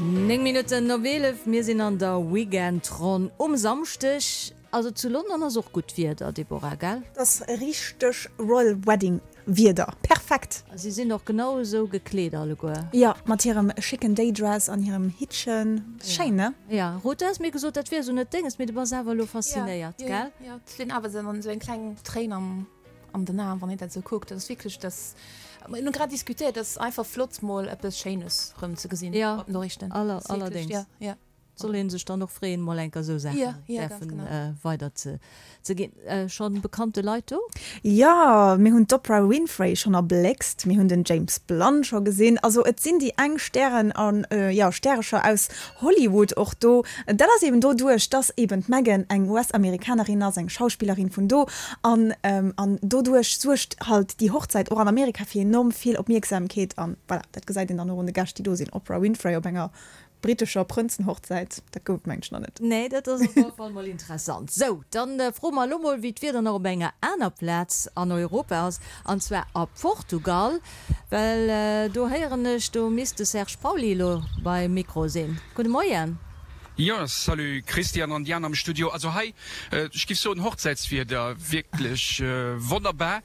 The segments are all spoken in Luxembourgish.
9 Minutten op 11, mir sinn an der Weekendronn um Samschdeg. Also zu London ass och gutt Wieder, Deborah, gell? Et ass richteg Royal Wedding Wieder, perfekt! A si sinn och genau esou gekleet alleguer. Jo, mat hirem schicken Daydress an hirem Hittchen, schéin ne? Jo, Ruth, du has mir gesot, dat wier esou net denges, mee du bass awer elo faszinéiert, gell? Jo, et sinn awer esou eng kleng Tréin am an den Aen, wann een dat esou kuckt. Dat ass wierklech, dat mir hunn grad diskutéiert, dat ass einfach flott mol eppes Schéines rëm ze gesinn op den Noriichten. Jo, allerdéngs. Jo. Soll een sech dann och freeën, mol enker esou Saachen däerfen weider ze ginn. Schonn bekannte Leit do? Jo, mir hunn d'Oprah Winfrey schonn erbléckst, mir hunn den James Blunt scho gesinn. Also et sinn déi eng Stären an, jo, Stärecher aus Hollywood och do. Dat ass eben doduerch, dass eben d'Meghan eng US-Amerikanerin ass, eng Schauspillerin vun do. An an doduerch suergt halt déi Hochzäit och an Amerika fir enorm vill Opmierksamkeet. An voilà, dat gesäit een dann och un de Gäscht, déi do sinn. Oprah Winfrey op enger brittescher Prënzenhochzäit, dat gouf et mengen ech nach net. Nee, dat ass op alle Fall mol interessant. Sou, dann froe mer elo mol, wéi d'Wieder nach op enger aner Plaz an Europa ass, an zwar a Portugal. Well do héieren ech, do misst de Serge Pauly elo beim Mikro sinn. Gudde Moien. Jo, salut Christian an Diane am Studio. Also hei, ech giff soen Hochzäitswieder, wierklech wonnerbar.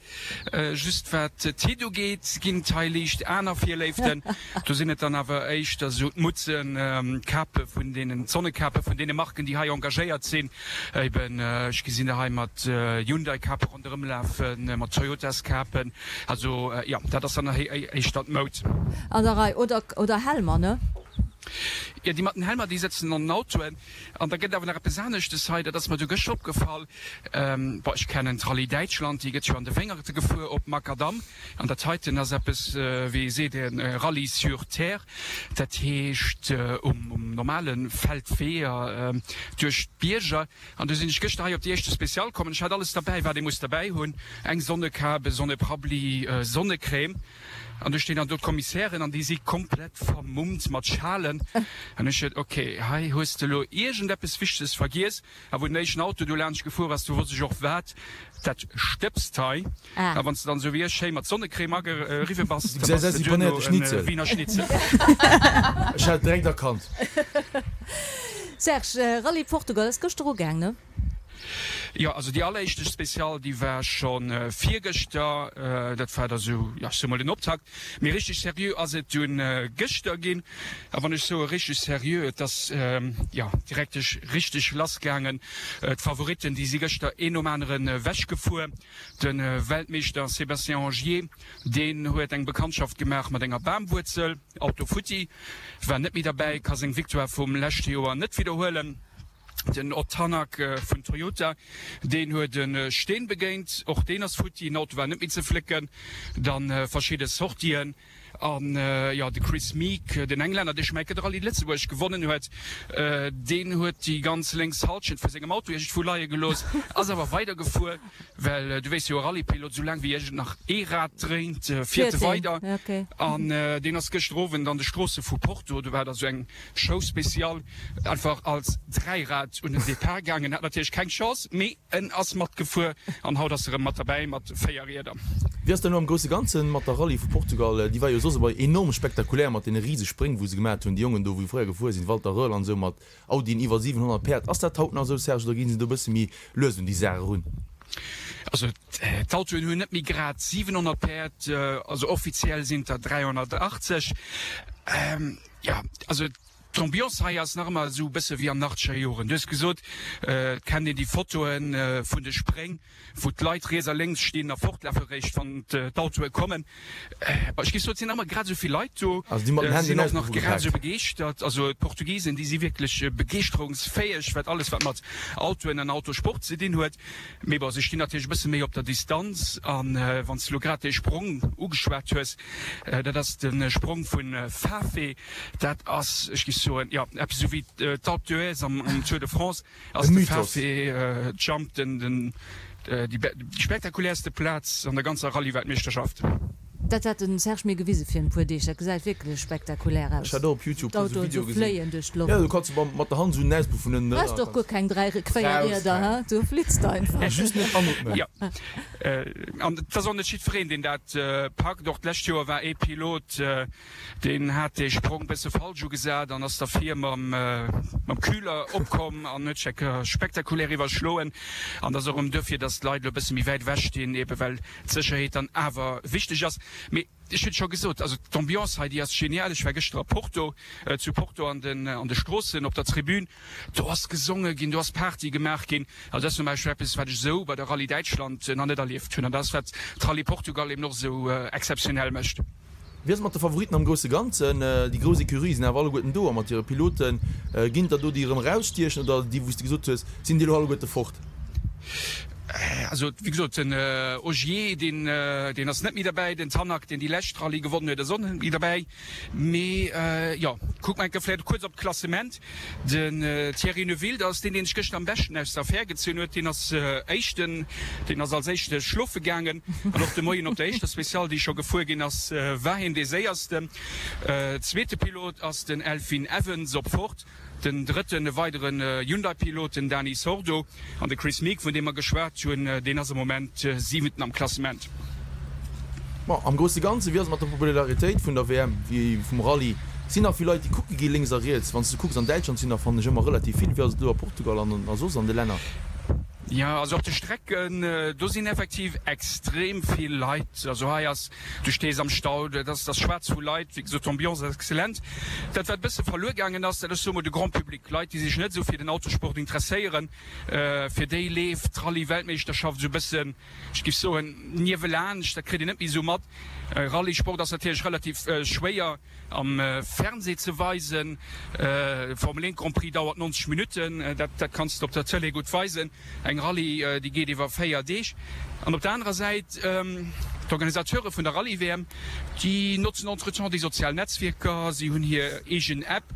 Just wat d'Hitt ugeet, ginn et hei liicht aner Virléiften. Do sinn et dann awer éischter esou d'Mutzen, d'Kape vun deenen, d'Sonnekape vun deene Marken, déi hei engagéiert sinn. Eben, ech gesinn der hei mat Hyundai-Kape ronderëm lafen, mat Toyotas-Kapen. Also jo, dat ass dann éischter d'Moud. An der Rei. Oder, oder Helmer, ne? Jo, déi mat den Helmer, déi sëtzen an den Autoen. An da gëtt awer nach eppes aneschtes hei, dat ass mer du gëschter opgefall. Bon, ech kennen d'Rallye Däitschland, déi gëtt jo an de Wéngerte gefuer op Makadam. An dat heiten ass eppes, wéi ee seet, e Rallye sur terre. Dat heescht um normale Feldweeër duerch d'Bierger. An du sinn ech gëschter hei op déi éischte Special komm an ech hat alles derbäi, wat ee muss derbäi hunn, eng Sonnekap, e Sonneprabli, Sonnecrème. An du stinn dann do d'Kommissären an déi si komplett vermummt mat Schalen. An ech sot, ok, hei hues de elo iergendeppes Wichteges vergiess. A wou den éischten Auto do laanscht gefuer ass, du wosst ech och wat dat stëbst hei. A wann s de dann esou wéi ech schéi mat Sonnecrème ageriwwe bass, da bass de duerno e Wiener Schnitzel. Ech hat et direkt erkannt. Serge, Rallye Portugal ass gëschter ugaang, ne? Jo, also déi alleréischte Special, déi war scho virgëschter. Dat war da sou, jo, ech soe mol den Optakt. Mee richteg seriö ass et dunn gëschter ginn. A wann ech soe richteg seriö, et ass, jo, direkt richteg lass gaangen. D'Favoritten, déi si gëschter een nom aneren ewechgefuer. De Weltmeeschter Sébastien Ogier, deen huet eng Bekanntschaft gemaach mat enger Bamwuerzel, Auto futti, war net méi derbäi, ka seng Victoire vum leschte Joer net widderhuelen. Den Ott Tanak vun Toyota, deen huet e Steen begéint, och deen ass futti, den Auto war net méi ze flécken. Dann verschidde Sortien an jo de Kris Meeke, den Englänner, dee schonn eng Kéier de Rallye Lëtzebuerg gewonnen huet, deen huet déi ganz lénks Hallschent vu sengem Auto iergendwou leie gelooss, ass awer weidergefuer, well du weess jo, e Rallyepilot, esou laang wéi iergend nach ee Rad dréint, fiert e weider. An deen ass gëschter Owend an de Stroosse vu Porto, do war da sou eng Show Spéciale, einfach als Dräirad un den Depart gaangen, hat natierlech keng Chance, mee en ass matgefuer an haut ass e rëm mat derbäi mat 4 Rieder. Wéi ass dat elo am grousse Ganzen mat der Rallye vu Portugal? Déi war jo soss ëmmer enorm spektakulär mat deene rise Spréng wou se gemat hunn, déi Jongen do wou fréier gefuer sinn, Walter Röhrl an esou mat Audien iwwer 700 Päerd. Ass dat haut nach esou Serge oder gi se do e bësse méi lues un déi Saach erun? Also d'Autoen hunn net méi grad 700 Päerd, also offiziell sinn et der 380. Jo, also d'Ambiance hei ass nach ëmmer esou e bësse wéi an den achtzeger Joren. Du hues gesot, et kennt een déi Fotoe vun de Spréng, wou d'Leit riets a lénks stinn a fortlafe réischt, wann d'Autoe kommen. Ech géif soen, et sinn nach ëmmer grad esou vill Leit do, sinn och nach grad esou begeeschtert. Also d'Portugisen, déi si wierklech begeeschterungsfäeg, wat alles wat mat Autoen an Autosport ze dinn huet. Mee bon, se stinn natierlech e bësse méi op der Distanz. A wann s de elo grad dee Sprong ugeschwat hues, Dat ass de Sprong vu Fafe. Dat ass, ech géif soen, jo, eppes esou wéi d'Alpe d'Huez am Tour de France ass de Fafe Jump den, déi spektakuläerste Plaz an der ganzer Rallye-Weltmeeschterschaft. Dat hat den Serge mir gewise virun e puer Deeg. Dat gesäit wierklech spektakulär aus. Ech hat och op Youtube puer sou D'Autoen Videoe sou gesinn. fléien duerch d'Loft. Jo, du kanns se mat der Hand sou en Auspuff vun ënnen Brauchs ënner. och guer keng 3 Brauchs Quéierrieder, keng. he? Du flitts einfach. Just net anootmen. Jo, an et ass och net jiddwereen, deen dat packt. Och d'lescht Joer war ee Pilot, Deen hat dee Sprong bësse falsch ugesat an ass da vir mam Kühler opkomm an huet sech eng Kéier spektakulär iwwerschloen. An dat ass och erëm duerfir, dass d'Leit elo e bësse méi wäit ewech stinn, ebe well d'Sécherheet dann awer wichteg ass. Mee ech hunn et scho gesot, also d'Ambiance hei, déi ass genial. Ech war gëschter a Porto, zu Porto an de Stroossen op der Tribün. Do ass gesonge ginn, do ass Party gemaach ginn. Also dat ass zum Beispill eppes, wat ech esou bei der Rallye Däitschland nach net erlieft hunn. An dat ass, wat d'Rallye Portugal eben och esou exzeptionell mécht. Wéi ass et mat de Favoritten am grousse Ganzen? Déi grouss Ecurië sinn awer alleguerten do a mat hire Piloten. Ginn et der do, déi erëm erausstiechen oder déi, wou s de gesot hues, sinn déi elo alleguerte fort? Also wéi gesot, den Ogier, deen, deen ass net méi derbäi. Den Tanak, deen déi lescht Rallye gewonnen huet, ass och net méi derbäi. Mee jo, kucke mer eng Kéier vläicht kuerz op d'Klassement. Den Thierry Neuville, dat ass deen, deen sech gëschter am beschten aus der Affär gezunn huet. Deen ass Éischten, deen ass als Éischte schlofe gaangen. An och de Moien op der éischter Speciale, déi scho gefuer ginn ass, war hien dee Séiersten. Zweete Pilot ass den Elfyn Evans op Ford. Den drëtten, e weideren Hyundai-Pilot, den Dani Sordo. An de Kris Meeke, vun deem mer geschwat hunn, deen ass am Moment Siwenten am Klassement. Bon, am grousse Ganze, wéi ass et mat der Popularitéit vun der WM, wéi vum Rallye? Sinn nach vill Leit, déi kucke gi lénks a riets? Wann s de kucks, an Däitschland sinn der, fannen ech, ëmmer relativ vill. Wéi ass et elo a Portugal an a soss an de Länner? Jo, also op de Strecken, do sinn effektiv extrem vill Leit. Also hei ass, du stees am Stau, dat ass, dat ass schwaarz vu Leit. Wéi gesot, d'Ambiance ass exzellent. Dat, wat e bësse verluer gaangen ass, dat ass, soe mer, de Grand public, Leit, déi sech net esou fir den Autosport interesséieren, fir déi leeft d'Rallye-Weltmeeschterschaft esou e bëssen, ech géif soen, niewelaanscht. Dat kritt een net méi esou mat. Rallye-Sport ass natierlech relativ schwéier am Fernsee ze weisen. Formel 1 Grand Prix dauert 90 Minutten, dat dat kanns de op der Tëlee gutt weisen. Eng Rallye, déi geet iwwer 4 Deeg. An op der anerer Säit, d'Organisateure vun der Rallye-WM, déi notzen entretemps déi sozial Netzwierker, si hunn hir eegen App,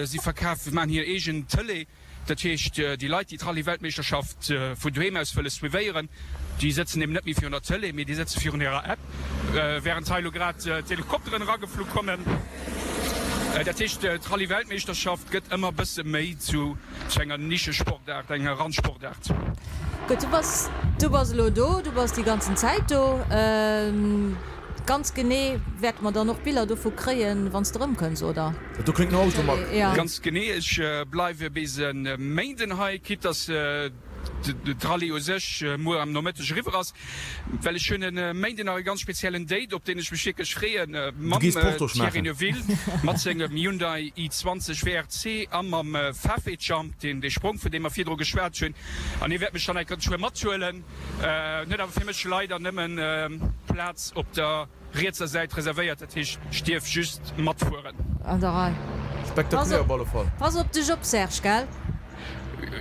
si verkafen, maachen hir eegen Tëlee. Dat heescht, déi Leit, déi d'Rallye-Weltmeeschterschaft vun doheem aus wëlle suivéieren, déi sëtzen eben net méi virun der Tëlee, mee déi sëtze virun hirer App, wärend hei elo grad d'Helikopteren erageflu kommen. Dat heescht, d'Rallye-Weltmeeschterschaft gëtt ëmmer e bësse méi zu enger Nischesportaart, enger Randsportaart. Gutt, du bass, du bass elo do, du bass déi ganzen Zäit do. Ganz genee wäerte mer dann och Biller dovu kréien, wann s de erëmkënns, oder? Dat do kléngt no Auto, Mack. Ganz genee, ech bleiwe bis e Méinden hei, quitte dass d'Rallye u sech muer am Nomëtteg eriwwer ass, well ech hunn e Méinden nach e ganz speziellen Date, op deen ech mech wierklech freeën, mam Thierry Neuville mat sengem Hyundai i20 WRC a mam Fafe Jump, deen dee Sprong, vun deem mer virdru geschwat hunn. An hie wäert mech dann eng Kéier geschwë mathuelen. En huet awer fir mech leider nëmmen Plaz op der. Rietser Säit reservéiert, dat heescht ech dierf just matfueren. An der Rei. Spektakulär op alle Fall. Pass op dech op Serge, gell?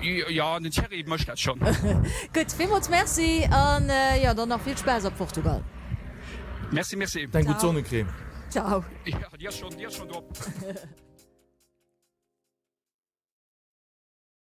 Jo, den Thierry mécht dat schonn. Gutt, villmools Merci an jo, dann nach vill Spaass a Portugal. Merci, merci. Denk un d'Sonnecrème. Ciao. Jo, déi ass schonn, déi ass schonn drop.